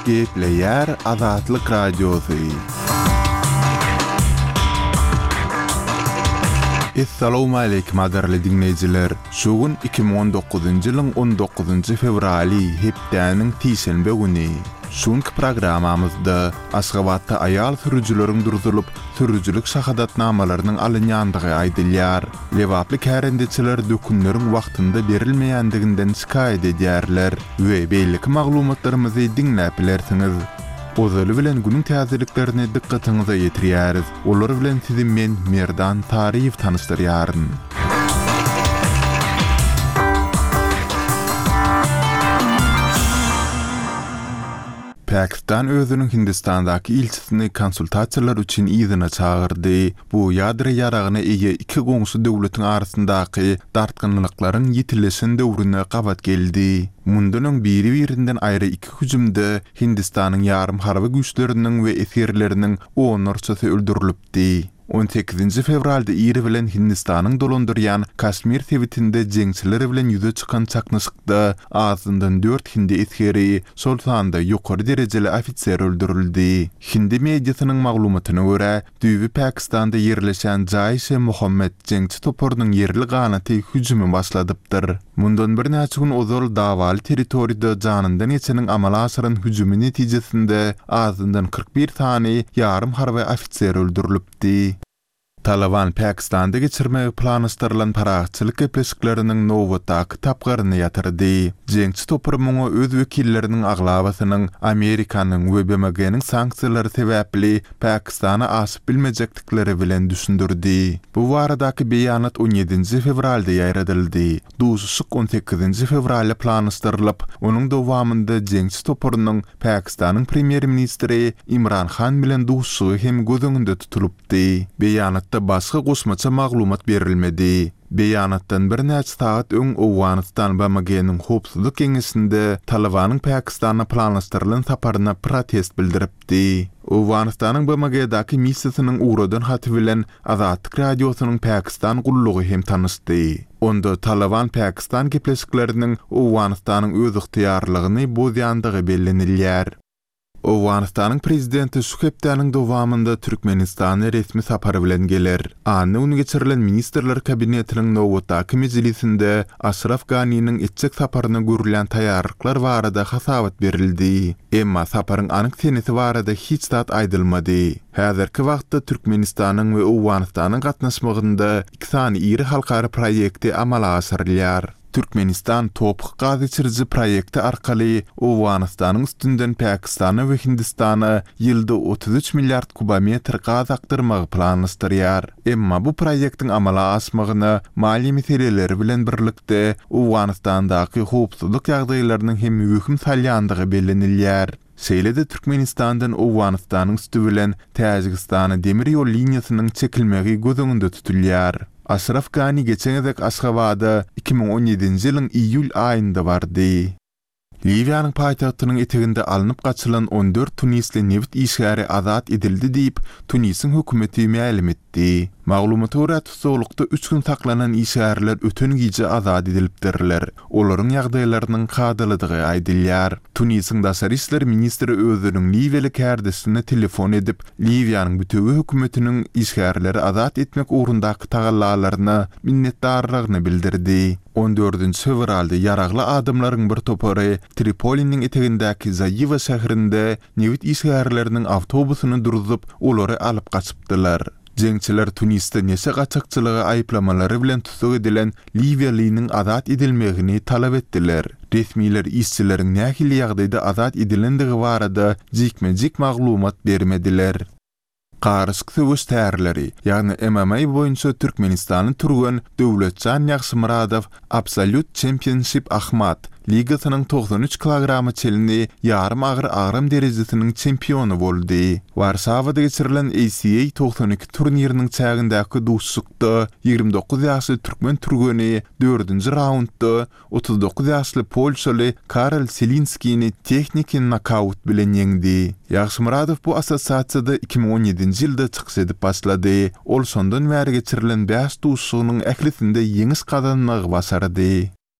Gepleýär Azatlyk Radiosy. Essalawmaleýkim gadyrly diňleýjiler! Şu gün 2019-njy ýylyň on dokuzynjy fewraly, hepdäniň sişenbe güni. Şu günki programmamyzda Aşgabatda aýal sürüjileriň durzulyp, sürüjilik şahadatnamalarynyň alynýandygy aýdylýar. Lebaply kärendeçiler dökünleriň wagtynda berilmeýändiginden şikaýat edýärler we beýleki maglumatlarymyzy diňläp bilersiňiz. Ozaly bilen günüň täzeliklerini dykgatyňyza ýetirýäris. Olar bilen sizi men, Merdan Saryýew tanyşdyrýaryn. Pakistan özüniň Hindistandaky ilçisini konsultasiýalar üçin yzyna çagyrdy. Bu ýadro ýaragyna eýe iki goňşy döwletiň arasyndaky dartgynlyklaryň ýitileşen döwrüne gabat geldi. Mundan öň biri-birinden aýry iki hüjümde Hindistanyň ýarym harby güýçleriniň we esgerleriniň onlarçasy öldürilipdi. On sekizinji fewralda ir bilen Hindistanyň dolandyrýan Kaşmir sebitinde jeňçiler bilen ýüze çykan çaknyşykda azyndan dört hindi esgeri, şol sanda ýokary derejeli ofiser öldürildi. Hindi mediasynyň maglumatyna görä, Düýbi Pakistanda ýerleşen Jaiş-e-Mohammed jeňçi toparynyň ýerli ganaty hüjümi başladypdyr. Mundan birnäçe gün ozal dawaly territoriýada janyndan geçeniň amala aşyran hüjümi netijesinde azyndan 41 sany ýarym harby ofiser öldürilipdi. Talyban Pakistanda geçirmegi planlaşdyrylan parahatçylyk gepleşikleriniň nobatdaky tapgyryny ýatyrdy. Jeňçi topar muňa öz wekilleriniň aglabasynyň Amerikanyň we BMG-niň sanksiýalary sebäpli Pakistana aşyp bilmejekdikleri bilen düşündirdi. Bu baradaky beýanat on ýedinji fewralda ýaýradyldy. Duşuşyk on sekizinji fewralda planlaşdyrylyp, onuň dowamynda jeňçi toparynyň Pakistanyň premýer-ministri Imran Han bilen duşuşygy hem göz öňünde tutulypdy. Beýanatda başga goşmaça maglumat berilmedi. Beýanatdan birnäçe sagat öň Owganystan BMG-niň Howpsuzlyk Geňeşinde Talybanyň Pakistana planlaşdyrylan saparyna protest bildiripdi. Owganystanyň BMG-daky missiýasynyň ugradan haty bilen Azatlyk Radiosynyň Pakistan gullugy hem tanyşdy. Onda Talyban-Pakistan gepleşikleriniň Owganystanyň özygtyýarlygyny bozýandygy bellenilýär. Owganystanyň prezidenti şu hepdäniň dowamynda Türkmenistana resmi sapar bilen geler. Anna güni geçirilen Ministrler Kabinetiniň nobatdaky mejlisinde Aşraf Ganiniň etjek saparyna görülýän taýýarlyklar barada hasabat berildi. Emma saparyň anyk senesi barada hiç zat aýdylmady. Häzirki wagtda Türkmenistanyň we Owganystanyň gatnaşmagynda iki sany iri halkara proýekti amala aşyrylýar. Türkmenistan TOPH gaz geçiriji proýekti arkaly Owganystanyň üstünden Pakistana we Hindistana ýylda 33 milliard kubometr gaz akdyrmagy planlaşdyrýar. Emma bu proýektiň amala aşmagyna maliýe meseleleri bilen birlikde, Owganystandaky howpsuzlyk ýagdaýlarynyň hem wehim salýandygy bellenilýär. Şeýle-de Türkmenistandan Owganystanyň üsti bilen Täjigistana demir ýol liniýasynyň çekilmegi göz öňünde tutulýar. Aşraf Gani geçen gezek Aşgabada 2017-nji ýylyň iýul aýynda bardy. Liwiýanyň paýtagtynyň eteginde alnyp gaçylan 14 tunisli nebit işgäri azat edildi diýip, Tunisiň hökümeti mälim etdi. Maglumata görä, tussaglykda üç gün saklanan işgärler öten gije azat edilipdirler. Olaryň ýagdaýlarynyň kadalydygy aýdylýar. Tunisiň daşary işler ministri özüniň liwiýaly kärdeşine telefon edip, Liwiýanyň bütewi hökümetiniň işgärleri azat etmek ugrundaky tagallalaryna minnetdarlygyny bildirdi. On dördünji fewralda ýaragly adamlaryň bir topary Tripoliniň etegindäki Zaiwa şäherinde nebit işgärleriniň awtobusyny durzup, olary alyp gaçypdylar. Jeňçiler Tunisde neşe gaçakçylygy aýyplamalary bilen tussag edilen liwiýalynyň azat edilmegini talap etdiler. Resmiler işçileriň nähili ýagdaýda azat edilendigi barada jikme-jik maglumat bermediler. Garyşyk söweş tärleri, ýagny MMA boýunça türkmenistanly türgen Döwletjan Ýagşymyradow Absolute Championship Ahmat ligasynyň 93 kilograma çenli ýarym agyr agram derejesiniň çempiony boldy. Warşawada geçirilen ACA 92 turniriniň çägindäki duşuşykda 29 ýaşly türkmen türgeni dördünji raundda 39 ýaşly polşaly Karol Selinskini tehniki nokaut bilen ýeňdi. Ýagşymyradow bu assosiasiýada 2017-nji ýylda çykyş edip başlady. Ol şondan bäri geçirilen bäş duşuşygynyň ählisinde ýeňiş gazanmagy başardy.